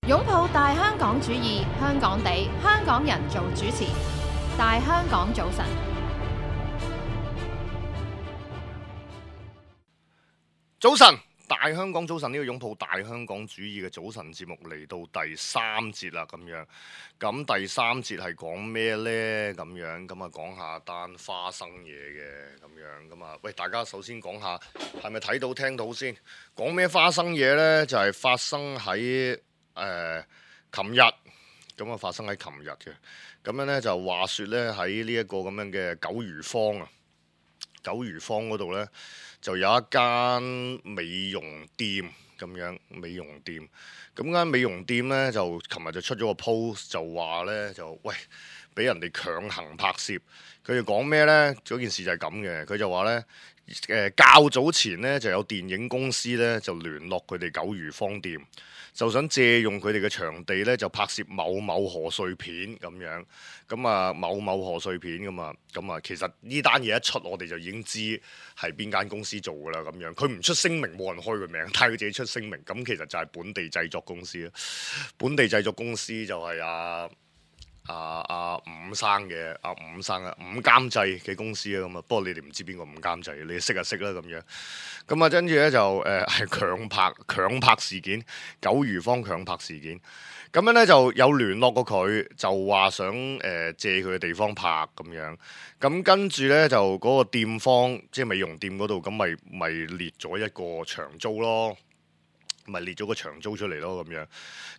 擁抱大香港主義，香港地，香港人做主持。大香港早晨，早晨，大香港早晨，呢個擁抱大香港主義嘅早晨節目嚟到第三節啦，咁樣。咁第三節係講咩呢？咁樣咁啊，講下單花生嘢嘅咁樣咁啊。喂，大家首先講下係咪睇到聽到先？講咩花生嘢呢？就係發生喺琴日，咁啊發生喺琴日嘅。咁樣呢，就話說呢，喺呢一個咁樣嘅九如坊啊，九如坊嗰度呢，就有一間美容店咁樣，美容店。咁間美容店呢，就琴日就出咗個 post，就話呢，就喂俾人哋強行拍攝。佢哋講咩呢？嗰件事就係咁嘅。佢就話呢，較早前呢，就有電影公司呢，就聯絡佢哋九如坊店，就想借用佢哋嘅場地呢，就拍攝某某賀歲片咁樣。咁啊，某某賀歲片㗎嘛。咁啊，其實呢單嘢一出，我哋就已經知係邊間公司做㗎啦。咁樣佢唔出聲明，冇人開佢名，但係佢自己出聲明。咁其實就係本地製作公司啦。本地製作公司就係伍生嘅伍監製嘅公司啊。咁啊，不過你哋唔知邊個伍監製，你識就識啦咁樣。咁啊，跟住咧就係強拍事件，九如坊強拍事件。咁樣咧就有聯絡過佢，就話想借佢嘅地方拍咁樣。咁跟住咧就嗰個店方，即係美容店嗰度，咁咪列咗一個長租咯。咪列咗個長租出嚟咯，咁樣。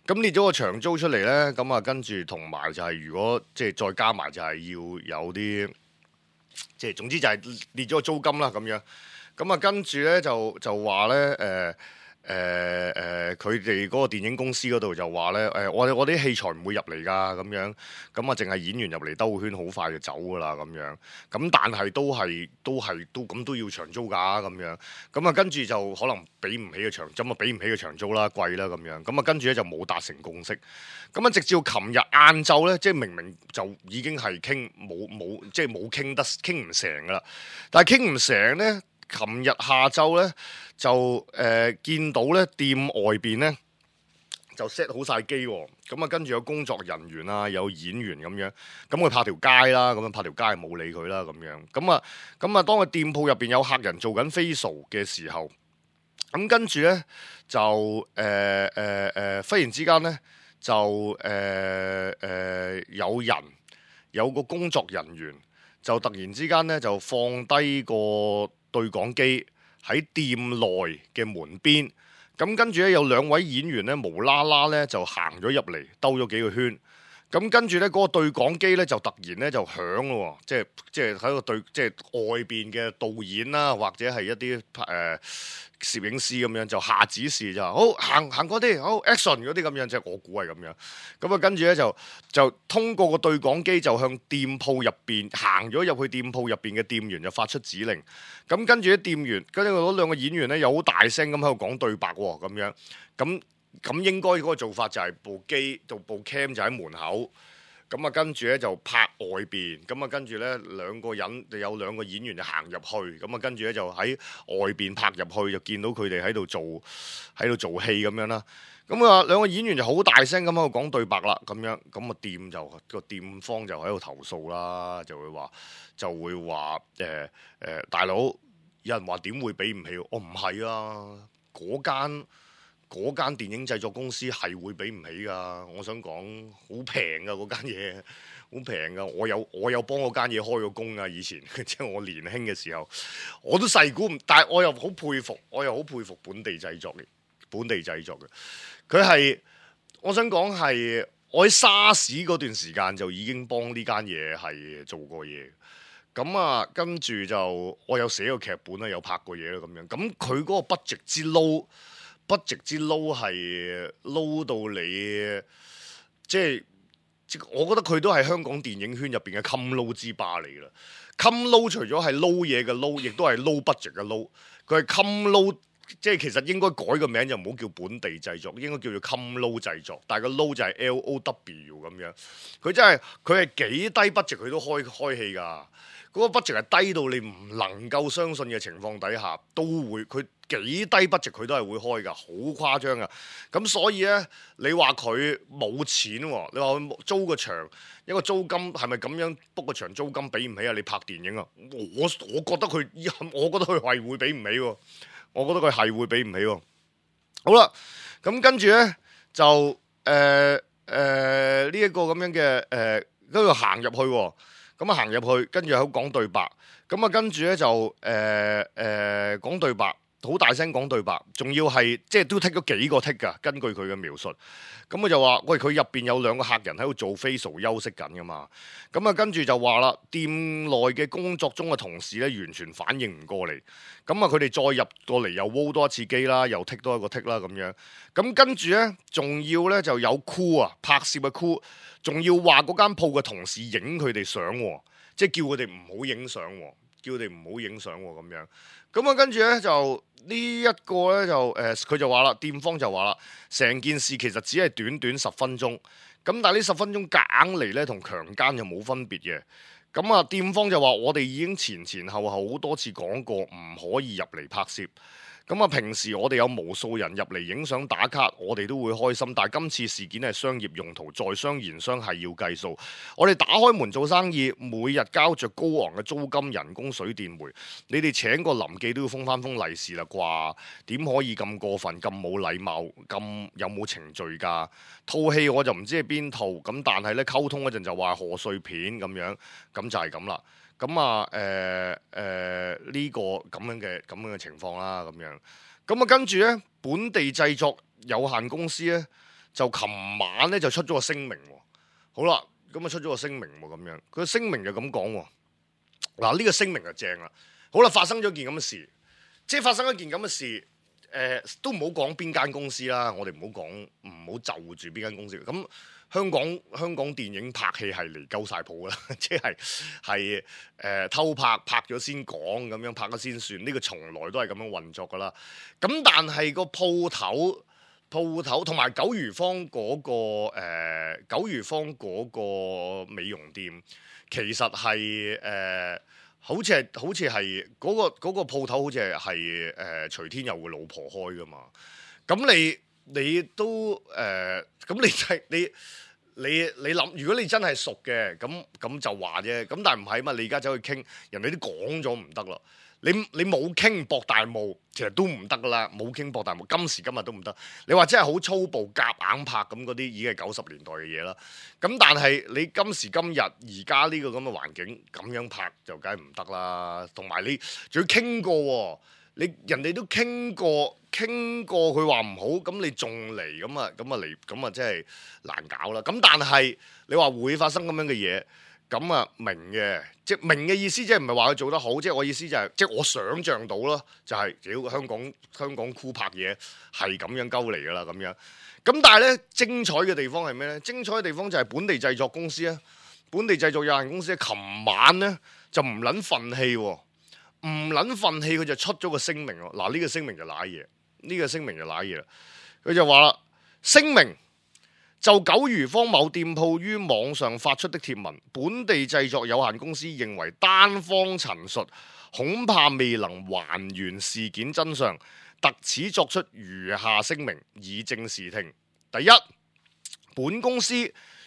咁列咗個長租出嚟呢，咁啊跟住同埋就係如果即係再加埋就係要有啲，即係總之就係列咗個租金啦，咁樣。咁啊跟住呢，就話呢，佢哋嗰個電影公司嗰度就話呢，我啲器材唔會入嚟㗎，咁樣。咁啊淨係演員入嚟兜個圈，好快就走㗎啦，咁樣。咁但係都要長租㗎，咁樣。咁啊跟住就可能俾唔起嘅長，咁啊俾唔起嘅長租啦，貴啦咁樣。咁啊跟住咧就冇達成共識。咁啊直至到琴日晏晝咧，即係明明就已經係即係冇傾唔成㗎啦。但係傾唔成咧，琴日下晝咧就見到咧店外邊咧就 set 好晒機喎。咁啊跟住有工作人員啊，有演員咁樣。咁佢拍條街啦，咁樣拍條街冇理佢啦咁樣。咁啊當個店鋪入邊有客人做緊 facial 嘅時候，咁跟住咧就忽然之間咧就有個工作人員就突然之間咧就放低個對講機喺店內嘅門邊。咁跟住咧有兩位演員咧無啦啦咧就行咗入嚟，兜咗幾個圈。咁跟住咧嗰個對講機咧就突然咧就響咯，即係喺個對即係外邊嘅導演啦，或者係一啲攝影師咁樣就下指示就好行嗰啲好 action 嗰啲咁樣，即係我估係咁樣。咁啊跟住咧就通過個對講機就向店鋪入邊行咗入去店鋪入邊嘅店員就發出指令。咁跟住啲店員跟住嗰兩個演員咧又好大聲咁喺度講對白喎，咁樣咁應該嗰個做法就係部 cam 就喺門口，咁啊跟住咧就拍外邊，咁啊跟住咧有兩個演員就行入去，咁啊跟住咧就喺外邊拍入去，就見到佢哋喺度做戲咁樣啦。咁啊兩個演員就好大聲咁喺度講對白啦，咁樣咁啊個店方就喺度投訴啦，就會話大佬，有人話點會俾唔起？我唔係啊，嗰間電影製作公司係會俾唔起㗎。我想講好平㗎，嗰間嘢，好平㗎。我有幫嗰間嘢開過工㗎，以前即係我年輕嘅時候，我都細估唔，但係我又好佩服本地製作嘅。佢係我想講係我喺沙士嗰段時間就已經幫呢間嘢係做過嘢。咁啊，跟住就我有寫過劇本啦，有拍過嘢啦咁樣。咁佢嗰個 budget 之撈係撈到你，即係我覺得佢都係香港電影圈入邊嘅襟撈之霸嚟㗎啦。襟撈除咗係撈嘢嘅撈，亦都係撈 budget 嘅撈。佢係襟撈，即係其實應該改個名就唔好叫本地製作，應該叫做襟撈製作。但係個撈就係 LOW 咁樣。佢係幾低 budget 佢都開戲㗎。嗰個 budget 係低到你唔能夠相信嘅情況底下，都會佢幾低 budget 佢都係會開㗎，好誇張㗎。咁所以咧，你話佢冇錢喎？你話佢租個場一個租金係咪咁樣 book 個場租金俾唔起啊？你拍電影啊？我覺得佢係會俾唔起喎。我覺得佢係會俾唔起喎。好啦，咁跟住咧就呢一個咁樣嘅跟住行入去喎。咁啊行入去，跟住喺度講對白。咁啊跟住咧就講對白。好大聲講對白，仲要係即係都剔咗幾個剔㗎。根據佢嘅描述，咁佢就話：喂，佢入邊有2個客人喺度做 facial 休息緊㗎嘛。咁啊，跟住就話啦，店內嘅工作中嘅同事咧，完全反應唔過嚟。咁啊，佢哋再入過嚟又 roll 多一次機啦，又剔多一個剔啦咁樣。咁跟住咧，仲要咧就有 crew 啊，拍攝嘅 crew，仲要話嗰間鋪嘅同事影佢哋相喎，即係叫佢哋唔好影相喎，叫佢哋唔好影相喎咁樣。咁啊，跟住咧就呢一個咧就佢就話啦，店方就話啦，成件事其實只係短短10分鐘，咁但係呢10分鐘夾硬嚟咧，同強姦就冇分別嘅。咁啊，店方就話我哋已經前後好多次講過，唔可以入嚟拍攝。咁啊，平時我哋有無數人入嚟影相打卡，我哋都會開心。但係今次事件係商業用途，在商言商係要計數。我哋打開門做生意，每日交着高昂嘅租金、人工、水電煤。你哋請個臨記都要封翻封利是啦啩？點可以咁過分、咁冇禮貌、咁有冇程序㗎？套戲我就唔知係邊套，咁但係咧溝通嗰陣就話賀歲片咁樣，咁就係咁啦。咁啊，呢個咁樣嘅情況啦，咁樣。咁啊，跟住咧，本地製作有限公司咧，就琴晚咧就出咗個聲明喎。好啦，咁啊出咗個聲明喎，咁樣。佢聲明就咁講喎。嗱，呢個聲明就正啦。好啦，發生咗件咁嘅事，即係發生一件咁嘅事，都唔好講邊間公司啦。我哋唔好就住邊間公司。咁香港電影拍戲係嚟夠晒譜啦，即係偷拍咗先講，咁樣拍咗先算，呢個從來都係咁樣運作噶啦。咁但係個鋪頭同埋九如坊嗰個美容店，其實係好似係嗰個鋪頭好似係徐天佑嘅老婆開噶嘛。咁你都咁你諗，如果你真係熟嘅，咁就話啫。咁但係唔係嘛？你而家走去傾，人哋都講咗唔得啦。你冇傾博大霧，其實都唔得噶啦。冇傾博大霧，今時今日都唔得。你話真係好粗暴夾硬拍咁嗰啲，已經係90年代嘅嘢啦。咁但係你今時今日而家呢個咁嘅環境，咁樣拍就梗係唔得啦。同埋你仲要傾過喎。人哋都傾過佢話唔好，咁你仲嚟咁啊真係難搞啦。咁但係你話會發生咁樣嘅嘢，咁啊明嘅，即係明嘅意思，即係唔係話佢做得好，即係我意思就係，即係我想像到咯，就係屌香港酷拍嘢係咁樣鳩嚟噶啦咁樣。咁但係咧精彩嘅地方係咩咧？精彩嘅地方就係本地製作公司啊，本地製作有限公司琴晚咧就唔撚憤氣喎。唔撚憤氣，佢就出咗個聲明喎。嗱，呢個聲明就瀨嘢，啦。佢就話啦，聲明就九如坊某店鋪於網上發出的貼文，本地製作有限公司認為單方陳述恐怕未能還原事件真相，特此作出如下聲明，以正視聽。第一，本公司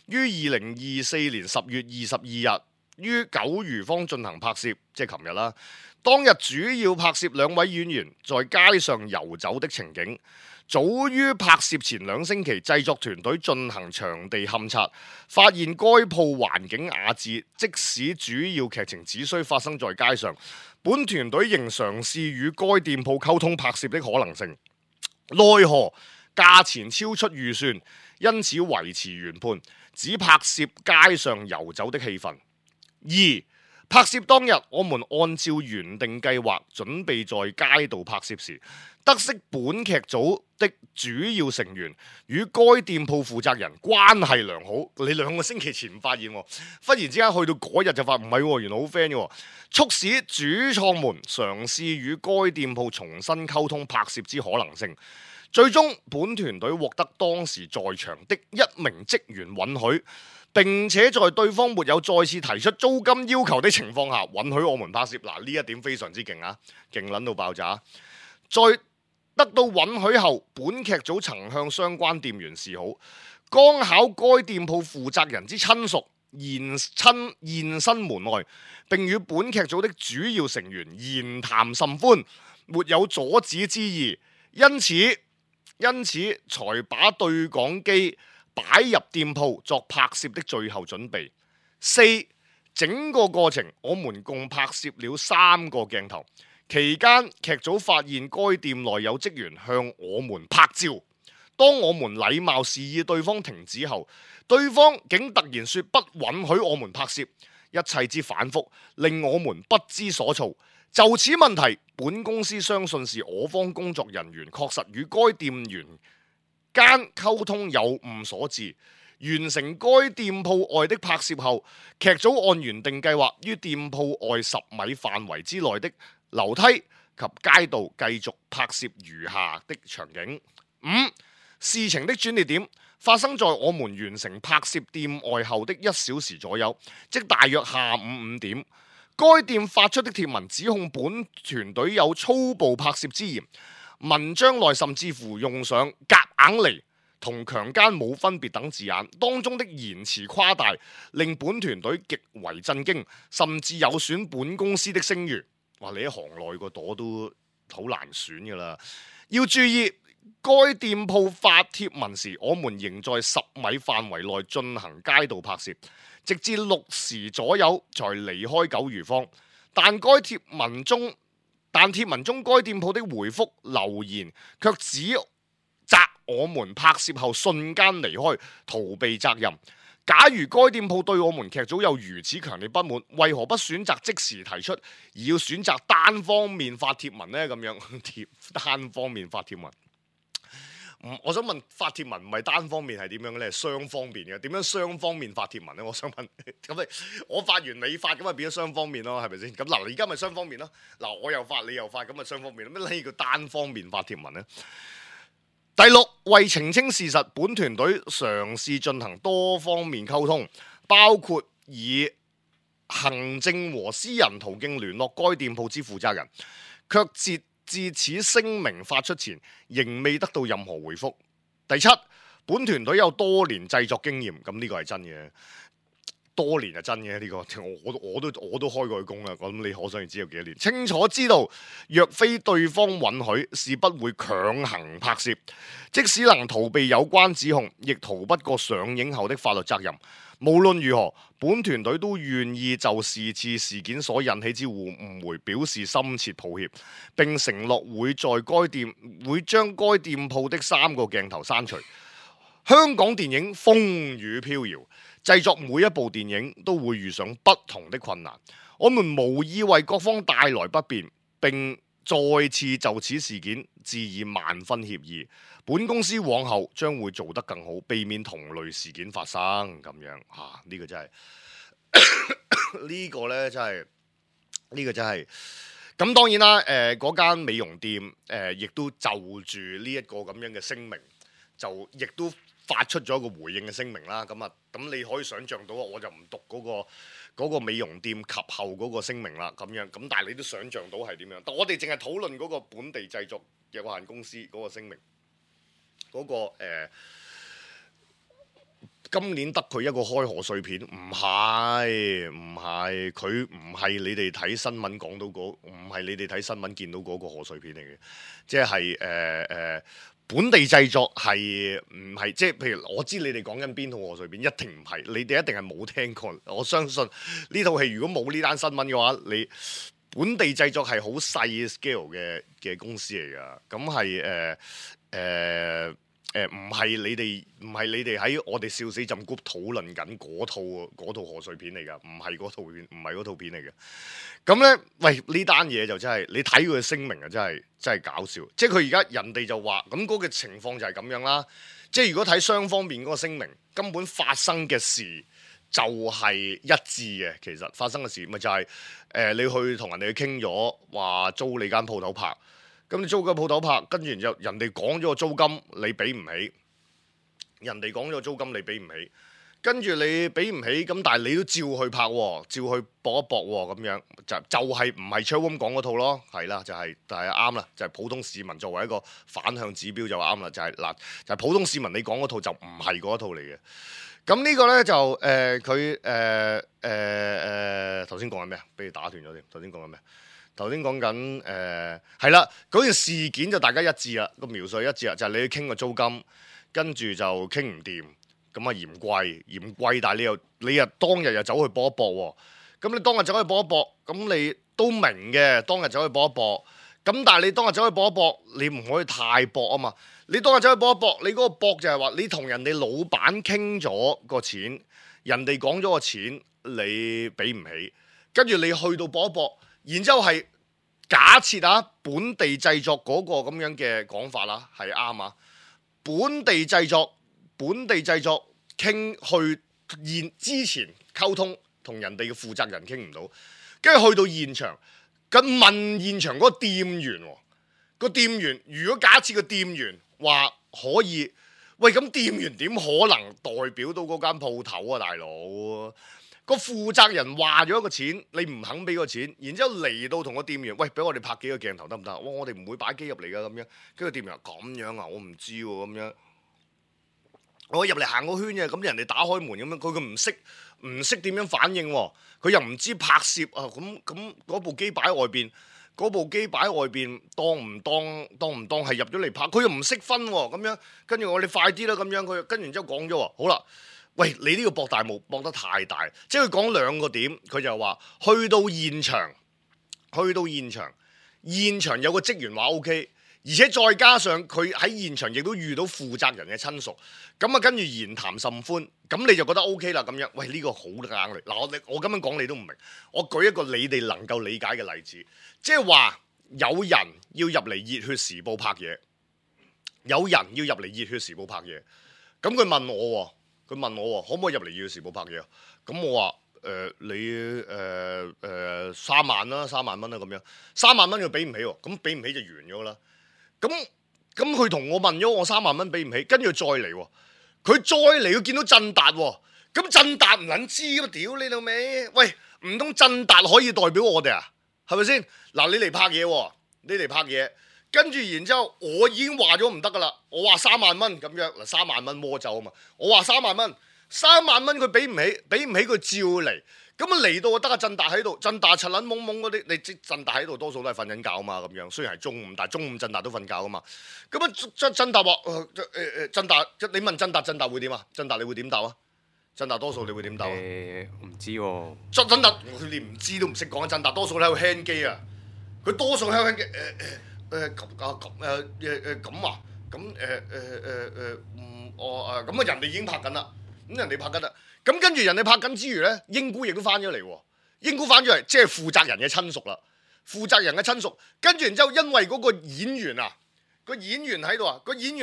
於2024年10月22日於九如坊進行拍攝，即係琴日啦。當日主要拍攝2位演員在街上遊走的情景。早於拍攝前2星期，製作團隊進行場地勘察，發現該鋪環境雅致，即使主要劇情只需發生在街上，本團隊仍嘗試與該店鋪溝通拍攝的可能性。奈何價錢超出預算，因此維持原判，只拍攝街上遊走的氣氛。2. 拍攝當日，我們按照原定計劃準備在街道拍攝時，得悉本劇組的主要成員與該店鋪負責人關係良好。你2個星期前唔發現喎，忽然之間去到嗰日就發唔係喎，原來好 friend 嘅，促使主創們嘗試與該店鋪重新溝通拍攝之可能性。最終，本團隊獲得當時在場的1名職員允許，並且在對方沒有再次提出租金要求的情況下，允許我們拍攝。嗱，呢一點非常之勁啊，勁撚到爆炸。在得到允許後，本劇組曾向相關店員示好，剛巧該店鋪負責人之親屬現身門外，並與本劇組的主要成員言談甚歡，沒有阻止之意，因此才把對講機擺入店鋪作拍攝的最後準備。4. 整個過程我們共拍攝了3個鏡頭，期間劇組發現該店內有職員向我們拍照，當我們禮貌示意對方停止後，對方竟突然說不允許我們拍攝，一切之反覆令我們不知所措。就此問題，本公司相信是我方工作人員確實與該店員間溝通有誤所致。完成該店鋪外的拍攝後，劇組按原定計劃於店鋪外10米範圍之內的樓梯及街道繼續拍攝餘下的場景。5. 事情的轉捩點發生在我們完成拍攝店外後的1小時左右，即大約下午5點。該店發出的帖文指控本團隊有粗暴拍攝之嫌，文章內甚至乎用上夾硬嚟同強姦冇分別等字眼，當中的言辭誇大，令本團隊極為震驚，甚至有損本公司的聲譽。哇！你喺行內個朵都好難選噶啦。要注意，該店鋪發帖文時，我們仍在10米範圍內進行街道拍攝，直至6時左右才離開九如坊。但帖文中該店鋪的回覆留言卻指責我們拍攝後瞬間離開，逃避責任。假如該店鋪對我們劇組有如此強烈不滿，為何不選擇即時提出，而要選擇單方面發帖文呢？咁樣單方面發帖文，我想問發帖文唔係單方面係點樣呢？係雙方面嘅，點樣雙方面發帖文呢？我想問，咁我發完你發，咁咪變咗雙方面咯，係咪先？咁嗱，而家咪雙方面咯。嗱，我又發你又發，咁咪雙方面咯。咩叫單方面發帖文呢？第6，為澄清事實，本團隊嘗試進行多方面溝通，包括以行政和私人途徑聯絡該店鋪之負責人，卻截至此聲明發出前，仍未得到任何回覆。第7，本團隊有多年製作經驗，咁呢個係真嘅。多年係真嘅呢個，我都開過工啦。咁你可想而知有幾多年？清楚知道，若非對方允許，是不會強行拍攝。即使能逃避有關指控，亦逃不過上映後的法律責任。無論如何，本團隊都願意就是次事件所引起之誤會表示深切抱歉，並承諾會將該店鋪的3個鏡頭刪除。香港電影風雨飄搖，製作每一部電影都會遇上不同的困難，我們無意為各方帶來不便，並再次就此事件致以萬分歉意。本公司往後將會做得更好，避免同類事件發生。咁樣呢個真係呢個呢真係咁。當然啦，嗰間美容店亦都就住呢一個咁樣嘅聲明，就亦都發出咗一個回應嘅聲明啦。咁你可以想像到，我就唔讀嗰個美容店及後嗰個聲明啦。咁樣咁，但係你都想像到係點樣？但我哋淨係討論嗰個本地製作有限公司嗰個聲明，嗰個今年得佢一個開賀歲片，唔係佢唔係你哋睇新聞講到唔係你哋睇新聞見到嗰個賀歲片嚟嘅，即係本地製作係唔係？即係譬如我知你哋講緊邊套賀歲片，一定唔係，你哋一定係冇聽過。我相信呢套戲如果冇呢單新聞嘅話，你本地製作係好細 scale 嘅公司嚟㗎。咁係唔係你哋喺我哋笑死浸 group 討論緊嗰套賀歲片嚟㗎，唔係嗰套片嚟嘅。咁呢，喂，呢單嘢就真係你睇佢嘅聲明啊，真係搞笑。即係佢而家人哋就話咁嗰個情況就係咁樣啦。即係如果睇雙方面嗰個聲明，根本發生嘅事就係一致嘅。其實發生嘅事咪就係你去同人哋傾咗話租你間鋪頭拍。咁你租個鋪頭拍，跟住然之後人哋講咗個租金你俾唔起，人哋講咗個租金你俾唔起，跟住你俾唔起，咁但係你都照去拍喎，照去搏一搏喎，咁樣就係唔係 Chatroom 講嗰套咯，係啦，就係啱啦，就係普通市民作為一個反向指標就啱啦，就係嗱，就係普通市民你講嗰套就唔係嗰套嚟嘅。咁呢個咧就佢頭先講緊咩啊？俾你打斷咗添。頭先講緊咩？頭先講緊係啦，嗰件事件就大家一致啦，個描述一致啦，就係你去傾個租金，跟住就傾唔掂，咁啊嫌貴，但係你又當日又走去搏一搏喎，咁你當日走去搏一搏，咁你都明嘅，當日走去搏一搏，咁但係你當日走去搏一搏，你唔可以太搏啊嘛。你當日走去搏一搏，你嗰個搏就係話你同人哋老闆傾咗個錢，人哋講咗個錢你俾唔起，跟住你去到搏一搏，然之後係假設啊本地製作嗰個咁樣嘅講法啦，係啱啊。本地製作傾去之前溝通同人哋嘅負責人傾唔到，跟住去到現場，咁問現場嗰個店員喎，個店員如果假設個店員話可以，喂咁店員點可能代表到嗰間鋪頭啊，大佬？個負責人話咗一個錢，你唔肯俾個錢，然之後嚟到同個店員，喂俾我哋拍幾個鏡頭得唔得？我哋唔會擺機入嚟噶咁樣，跟住店員話咁樣啊，我唔知喎咁樣。我入嚟行個圈嘅，咁人哋打開門咁樣，佢唔識點樣反應喎，佢又唔知拍攝啊，咁嗰部機擺喺外邊。嗰部機擺喺外邊，當唔當係入咗嚟拍？佢又唔識分喎，咁樣跟住我哋快啲啦，咁樣佢跟完之後講咗喎，好啦，喂你呢個博大霧博得太大，即係佢講兩個點，佢就話去到現場有個職員話 OK， 而且再加上佢喺現場亦都遇到負責人嘅親屬，咁啊跟住言談甚歡，咁你就覺得 OK 啦咁樣，喂呢個好硬嚟，嗱我咁樣講你都唔明，我舉一個你哋能夠理解嘅例子。即係話有人要入嚟《熱血時報》拍嘢，咁佢問我可唔可以入嚟《熱血時報》拍嘢？咁我話你3萬啦，3萬蚊啦咁樣，3萬蚊佢俾唔起喎，咁俾唔起就完咗啦。咁佢同我問咗我3萬蚊俾唔起，跟住再嚟喎，佢再嚟佢見到振達喎，咁振達唔撚知咁屌你老味，喂唔通振達可以代表我哋啊？係咪先？嗱，你嚟拍嘢，跟住然之後，我已經話咗唔得噶啦。我話3萬蚊咁樣，嗱3萬蚊魔咒啊嘛。我話3萬蚊佢俾唔起佢照嚟。咁啊嚟到啊得阿振達喺度，振達柒撚懵懵嗰啲，你知振達喺度多數都係瞓緊覺啊嘛咁樣。雖然係中午，但係中午振達都瞓覺啊嘛。咁啊振達話振達，你問振達會點啊？振達你會點答啊？振達多數你會點答啊？唔知喎。振達佢連唔知都唔識講，振達多數喺度輕機啊！佢多數喺度輕機咁啊人哋已經拍緊啦，咁人哋拍緊啦，咁跟住人哋拍緊之餘咧，英姑亦都翻咗嚟喎，英姑翻咗嚟即係負責人嘅親屬啦，跟住然之後因為嗰個演員啊，個演員喺度啊，個演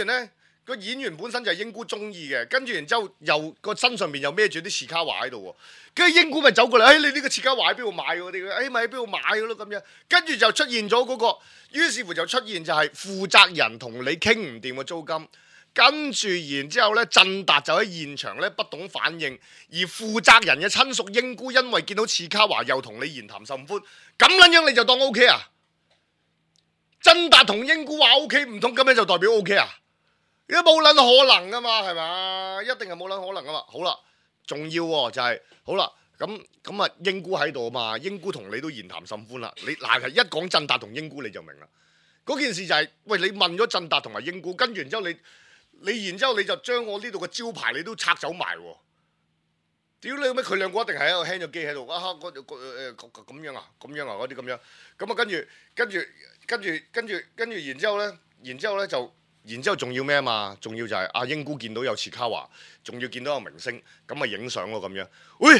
員本身就係英姑中意嘅，跟住然之後又個身上邊又孭住啲切卡華喺度喎，跟住英姑咪走過嚟，你呢個切卡華喺邊度買嗰啲？咪喺邊度買嘅咯咁樣，跟住就出現咗嗰個，於是乎就出現就係負責人同你傾唔掂嘅租金，跟住然之後咧，振達就喺現場咧不懂反應，而負責人嘅親屬英姑因為見到切卡華又同你言談甚歡，咁撚樣你就當 OK 啊？振達同英姑話 OK， 唔通咁樣就代表 OK 啊？你都冇撚可能噶嘛，係嘛？一定係冇撚可能噶嘛。好啦，仲要喎就係好啦，咁啊英姑喺度啊嘛，英姑同你都言談甚歡啦。你嗱一講振達同英姑你就明啦。嗰件事就係，喂你問咗振達同埋英姑，跟住然之後然之後你就將我呢度嘅招牌你都拆走埋喎。屌你咩？佢兩個一定係喺度輕咗機喺度啊！咁樣啊嗰啲咁樣，咁啊跟住然之後咧就。然之後仲要咩啊嘛？仲要就係阿英姑見到有切卡華，仲要見到有明星，咁啊影相咯咁樣。喂，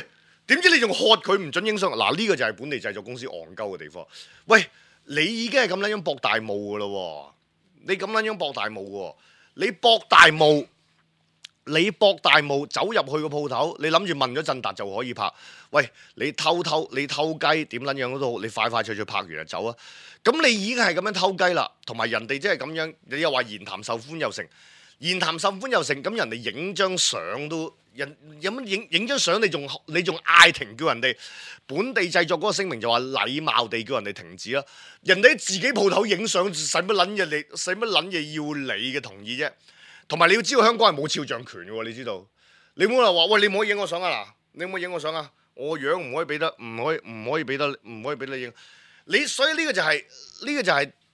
點知你仲喝佢唔準影相？嗱呢個就係本地製作公司戇鳩嘅地方。喂，你已經係咁撚樣博大霧㗎咯喎！你博大霧走入去個鋪頭，你諗住問咗振達就可以拍？喂，你偷雞點撚樣都好，你快脆拍完就走啊！咁你已經係咁樣偷雞啦，同埋人哋即係咁樣，你又話言談甚歡又成，咁人哋影張相都人有乜影張相，你仲嗌停叫人哋本地製作嗰個聲明就話禮貌地叫人哋停止啦。人哋喺自己鋪頭影相，使乜撚嘢要你嘅同意啫？同埋你要知道香港係冇肖像權嘅喎，你知道？你唔好話喂，你唔可以影我相啊嗱，你唔可以影我相啊，我樣唔可以俾得，唔可以俾你影。所以呢個就係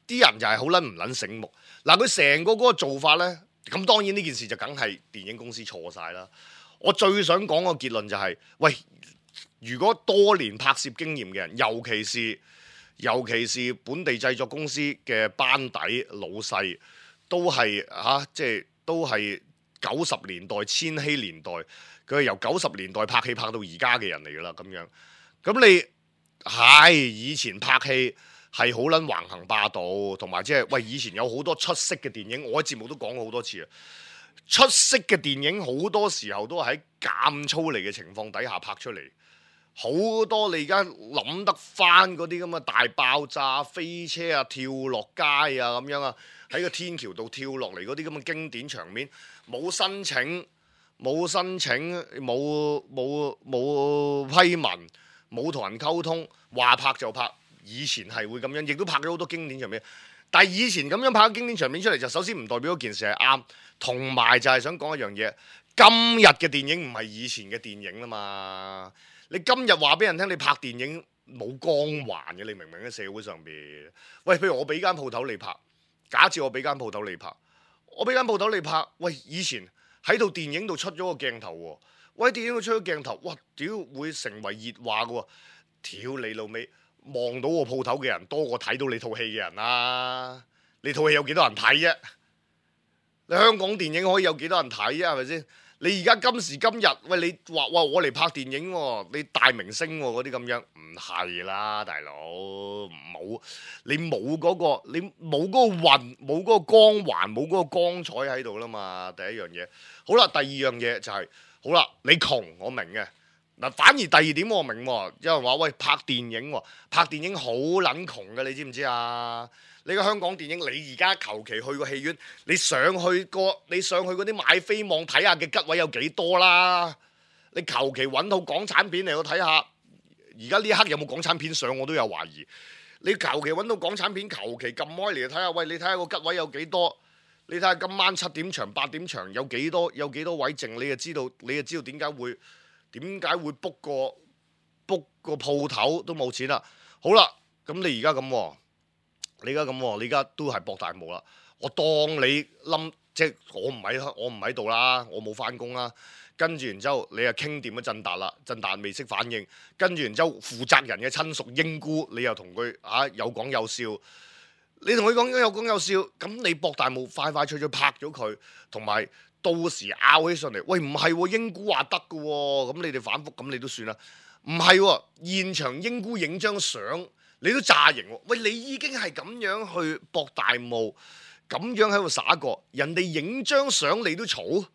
啲人就係好撚唔撚醒目。嗱，佢成個嗰個做法咧，咁當然呢件事就梗係電影公司錯晒啦。我最想講個結論就係，喂，如果多年拍攝經驗嘅人，尤其是本地製作公司嘅班底老細，都係即係都係90年代、千禧年代，佢係由90年代拍戲拍到而家嘅人嚟㗎啦，咁樣。咁你係以前拍戲係好撚橫行霸道，同埋即係喂，以前有好多出色嘅電影，我喺節目都講過好多次啊。出色嘅電影好多時候都係喺監粗嚟嘅情況底下拍出嚟，好多你而家諗得翻嗰啲咁嘅大爆炸、飛車啊、跳落街啊咁樣啊，喺個天橋度跳落嚟嗰啲咁嘅經典場面，冇申請、冇批文、冇同人溝通，話拍就拍。以前係會咁樣，亦都拍咗好多經典場面。但係以前咁樣拍經典場面出嚟，就首先唔代表嗰件事係啱，同埋就係想講一樣嘢。今日嘅電影唔係以前嘅電影啦嘛。你今日話俾人聽，你拍電影冇光環嘅，你明唔明喺社會上邊？喂，譬如我俾間鋪頭你拍，假設我俾間鋪頭你拍，喂，以前喺套電影度出咗個鏡頭喎，喂，電影度出咗鏡頭，哇，屌會成為熱話嘅喎，屌你老味！望到個鋪頭嘅人多過睇到你套戲嘅人啦！你套戲有幾多人睇啫？你香港電影可以有幾多人睇啊？係咪先？你而家今時今日，喂，你話哇我嚟拍電影喎，你大明星喎嗰啲咁樣，唔係啦，大佬，你冇嗰個運，冇嗰個光環，冇嗰個光彩喺度啦嘛。第一樣嘢，好啦，第二樣嘢就係，好啦，你窮我明嘅。嗱，反而第二點我明喎，有人話喂，拍電影好撚窮嘅，你知唔知啊？你個香港電影，你而家求其去個戲院，你上去嗰啲買飛網睇下嘅吉位有幾多啦？你求其揾套港產片嚟去睇下，而家呢一刻有冇港產片上我都有懷疑。你求其揾到港產片，求其撳開嚟睇下，喂，你睇下個吉位有幾多？你睇下今晚7點場、8點場有幾多位剩，你就知道點解會 book 個鋪頭都冇錢啦。好啦，咁你而家咁，你而家都係博大霧啦。我當你即係我唔喺度啦，我冇翻工啦。跟住然之後，你又傾掂咗振達啦，振達未識反應。跟住然之後，負責人嘅親屬英姑，你又同佢有講有笑。你同佢講有講有笑，咁你博大霧快脆拍咗佢，同埋到時拗起上嚟，喂，唔係喎，英姑話得嘅喎，咁你哋反覆，咁你都算啦。唔係喎，現場英姑影張相，你都詐型喎。喂，你已經係咁樣去博大霧，咁樣喺度耍過，人哋影張相你都嘈，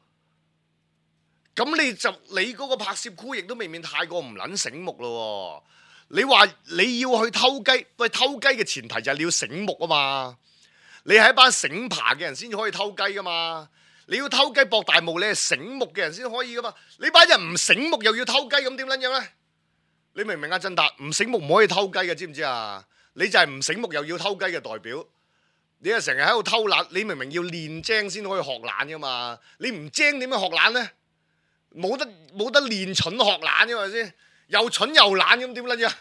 咁你嗰個拍攝 crew 亦都未免太過唔撚醒目咯。你話你要去偷雞，喂，偷雞嘅前提就係你要醒目啊嘛。你係一班醒爬嘅人先至可以偷雞噶嘛。你要偷雞博大霧，你係醒目嘅人先可以噶嘛。你班人唔醒目又要偷雞，咁點撚樣呢？你明唔明啊？振達唔醒目唔可以偷雞嘅，知唔知啊？你就係唔醒目又要偷雞嘅代表。你係成日喺度偷懶，你明明要練精先可以學懶噶嘛。你唔精點樣學懶呢？冇得練蠢學懶嘅係咪先？又蠢又懶咁點撚樣？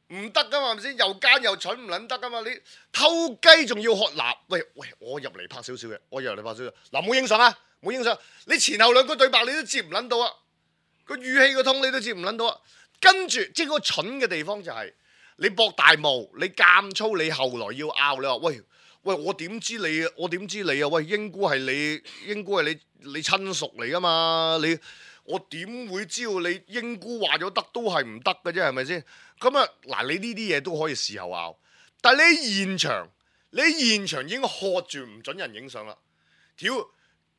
唔得噶嘛，係咪先？又奸又蠢唔撚得噶嘛？你偷雞仲要學嗱？喂，我入嚟拍少少嘅，嗱，冇影相啊，冇影相。你前後兩個對白你都接唔撚到啊，個語氣個通你都接唔撚到啊。跟住即係嗰個蠢嘅地方就係你博大霧，你監粗，你後來要拗，你話喂，我點知你啊？喂，英姑係你親屬嚟噶嘛？我點會知道你英姑話咗得都係唔得嘅啫？係咪先？咁啊嗱，你呢啲嘢都可以事後拗，但係你喺現場已經喝住唔準人影相啦。屌，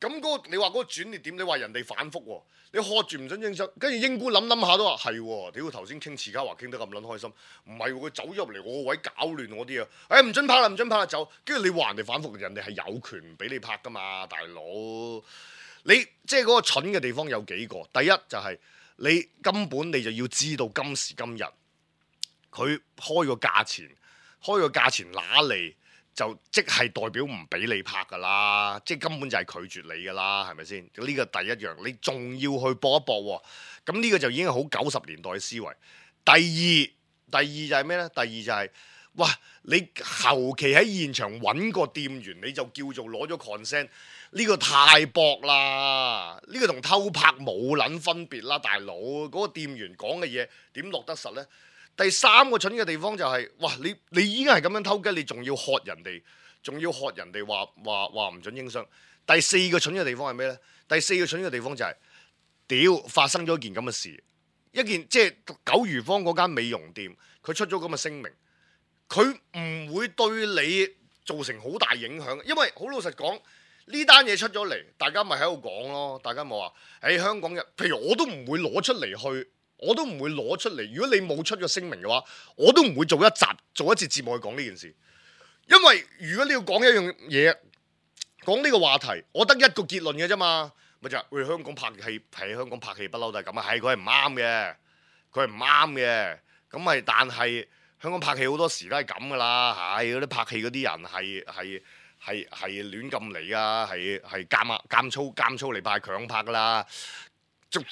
咁你話嗰個轉捩點，你話人哋反覆喎，你喝住唔準影相，跟住英姑諗下都話係喎。屌，頭先傾遲嘉華傾得咁撚開心，唔係喎，佢走入嚟我個位搞亂我啲啊！唔準拍啦，走。跟住你話人哋反覆，人哋係有權唔俾你拍噶嘛，大佬。你即係嗰個蠢嘅地方有幾個？第一就係你根本你就要知道今時今日佢開個價錢揦嚟就即係代表唔俾你拍㗎啦，即係根本就係拒絕你㗎啦，係咪先？呢個第一樣，你仲要去搏一搏喎，咁呢個就已經係好90年代嘅思維。第二就係咩呢？第二就係、哇！你求其喺現場揾個店員，你就叫做攞咗 consent， 呢個太薄啦！呢個同偷拍冇撚分別啦，大佬。嗰個店員講嘅嘢點落得實呢？第三個蠢嘅地方就係、哇！你已經係咁樣偷雞，你仲要喝人哋話唔準影相。第四個蠢嘅地方係咩呢？第四個蠢嘅地方就係、屌發生咗一件咁嘅事。一件即係九如坊嗰間美容店，佢出咗咁嘅聲明，佢唔會對你造成好大影響，因為好老實講，呢單嘢出咗嚟，大家咪喺度講咯，大家冇話，香港人，譬如我都唔會攞出嚟去，我都唔會攞出嚟。如果你冇出個聲明嘅話，我都唔會做一節節目去講呢件事，因為如果你要講一樣嘢，講呢個話題，我得一個結論嘅啫嘛。咪就係香港拍戲，喺香港拍戲不嬲都係咁啊！係佢係唔啱嘅，佢係唔啱嘅。咁咪但係香港拍戲好多時都係咁噶啦，係嗰啲拍戲嗰啲人係亂咁嚟啊，係監粗嚟拍強拍噶啦，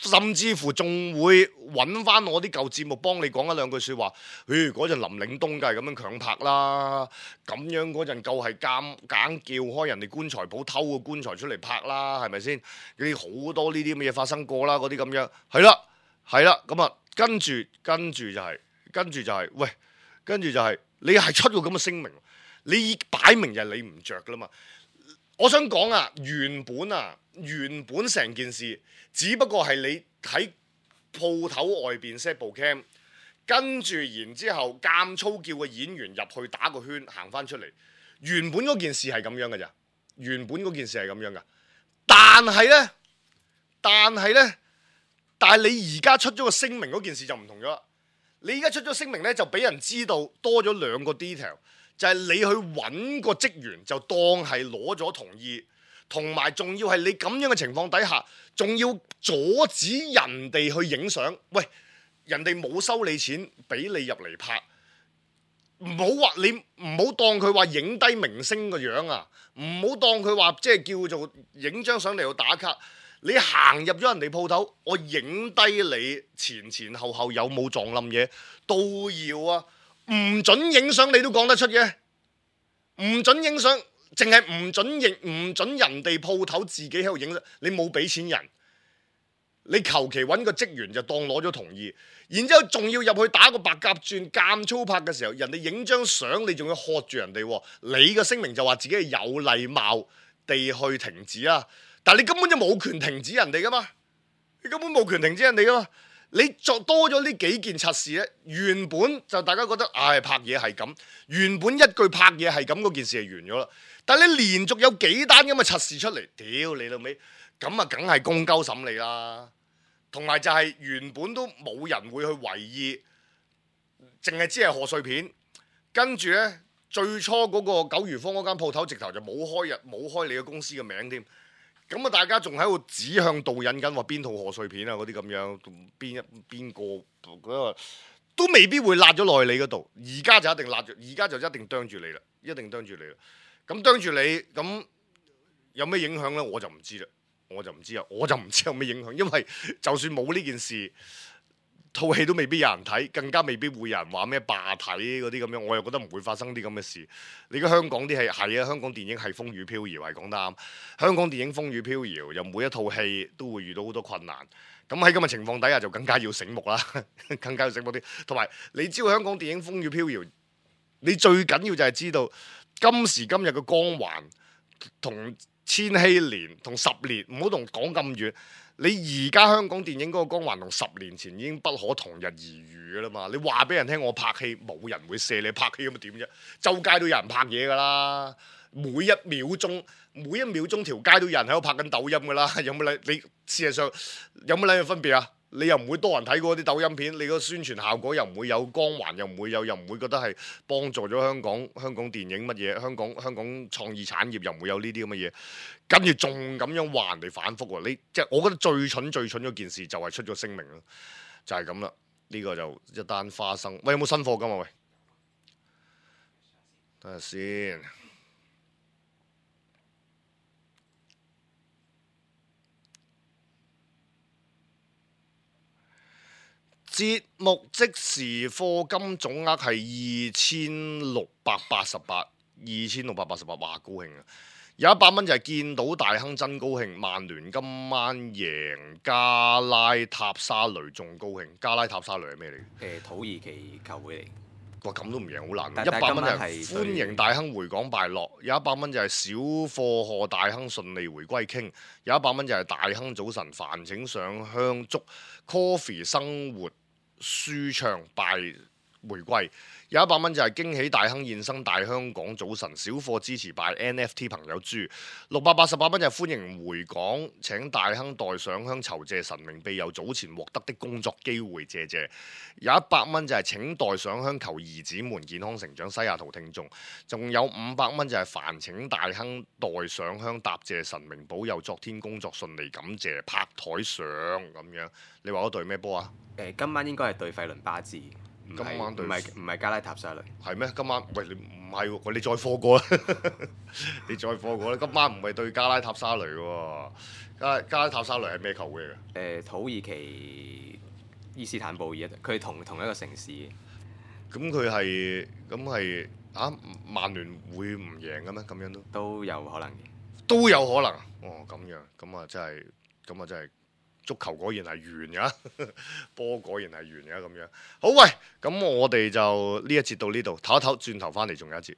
甚至乎仲會揾翻我啲舊節目幫你講一兩句説話。嗰陣林嶺東梗係咁樣強拍啦，咁樣嗰陣夠係硬叫開人哋棺材鋪偷個棺材出嚟拍啦，係咪先？啲好多呢啲咁嘅嘢發生過啦，嗰啲咁樣係啦，咁啊跟住就係喂，跟住就係你係出個咁嘅聲明，你擺明就係你唔着噶啦嘛。我想講啊，原本成件事只不過係你喺鋪頭外邊 set 部 cam， 跟住然之後監粗叫個演員入去打個圈行翻出嚟。原本嗰件事係咁樣嘅咋，原本嗰件事係咁樣噶。但係你而家出咗個聲明嗰件事就唔同咗啦。你而家出咗聲明呢，就俾人知道多咗兩個 detail。就係你去揾個職員，就當係攞咗同意，同埋仲要係你咁樣嘅情況底下，仲要阻止人哋去影相。喂，人哋冇收你錢，俾你入嚟拍，唔好話你唔好當佢話影低明星個樣啊，唔好當佢話即係叫做影張相嚟到打卡。你行入咗人哋鋪頭，我影低你前後有冇撞冧嘢都要啊！唔准影相你都講得出嘅，唔准影相，淨係唔准人哋鋪頭自己喺度影相。你冇俾錢人，你求其揾個職員就當攞咗同意，然之後仲要入去打個白鴿轉監粗拍嘅時候，人哋影張相你仲要喝住人哋，你嘅聲明就話自己係有禮貌地去停止啊，但係你根本就冇權停止人哋噶嘛，你根本冇權停止人哋噶嘛。你作多咗呢幾件測試呢，原本就大家覺得拍嘢係咁，原本一句拍嘢係咁嗰件事係完咗啦。但係你連續有幾單咁嘅測試出嚟，屌你老味，咁啊梗係公鳩審理啦。同埋就係原本都冇人會去為意，淨係知係賀歲片。跟住呢，最初嗰個九如坊嗰間鋪頭直頭就冇開你嘅公司嘅名添。咁啊！大家仲喺度指向導引緊話邊套賀歲片啊嗰啲咁樣，邊個都未必會辣咗落去你嗰度。而家就一定辣咗，而家就一定啄住你啦，一定啄住你啦。咁啄住你，咁有咩影響呢？我就唔知啦，我就唔知有咩影響，因為就算冇呢件事，套戲都未必有人睇，更加未必會有人話咩罷睇嗰啲咁樣，我又覺得唔會發生啲咁嘅事。你而家香港啲戲係啊，香港電影係風雨飄搖，係講得啱。香港電影風雨飄搖，又每一套戲都會遇到好多困難。咁喺咁嘅情況底下，就更加要醒目啦，更加要醒目啲。同埋你知道香港電影風雨飄搖，你最緊要就係知道今時今日嘅光環同千禧年同10年，唔好同講咁遠。你而家香港電影嗰個光環同10年前已經不可同日而語噶啦嘛！你話俾人聽，我拍戲冇人會射你，拍戲咁點啫？周街都有人拍嘢噶啦，每一秒鐘條街都有人喺度拍緊抖音噶啦，有冇你事實上有冇兩樣分別啊？你又唔會多人睇過啲抖音片，你個宣傳效果又唔會有光環，又唔會覺得係幫助咗香港電影乜嘢，香港創意產業又唔會有呢啲咁嘅嘢，跟住仲咁樣話人哋反覆喎，即係我覺得最蠢嗰件事就係出咗聲明咯，就係咁啦。呢個就一單花生。喂，有冇新貨㗎嘛？喂，等下先。節目即時課金總額係2688，哇，高興啊！有100蚊就係見到大亨真高興，曼聯今晚贏加拉塔沙雷仲高興。加拉塔沙雷係咩嚟嘅？土耳其球會嚟。哇，咁都唔贏好難。但100蚊就係歡迎大亨回港敗落，有100蚊就係小貨賀大亨順利回歸傾，有100蚊就係大亨早晨煩請上香祝 Coffee 生活舒暢拜回歸，有100蚊就係驚喜大亨現身大香港早晨小貨支持拜 NFT 朋友豬，688蚊就係歡迎回港請大亨代上香酬謝神明庇佑早前獲得的工作機會謝謝，有100蚊就係請代上香求兒子們健康成長西雅圖聽眾，仲有500蚊就係煩請大亨代上香答謝神明保佑昨天工作順利感謝拍台上咁樣。你話嗰隊咩波啊？今晚應該係對費倫巴治。今晚對唔係加拉塔沙雷。係咩？今晚喂，你唔係喎，你再課過啦，你再課過啦。今晚唔係對加拉塔沙雷喎，加拉塔沙雷係咩球會嚟嘅？土耳其伊斯坦布爾，佢係同一個城市嘅。咁係曼聯會唔贏嘅咩？咁樣都有可能嘅。都有可能。哦，咁樣咁啊，真係。足球果然係圓㗎，波果然係圓㗎咁樣。好，喂，咁我哋就呢一節到呢度，唞一唞，轉頭翻嚟仲有一節。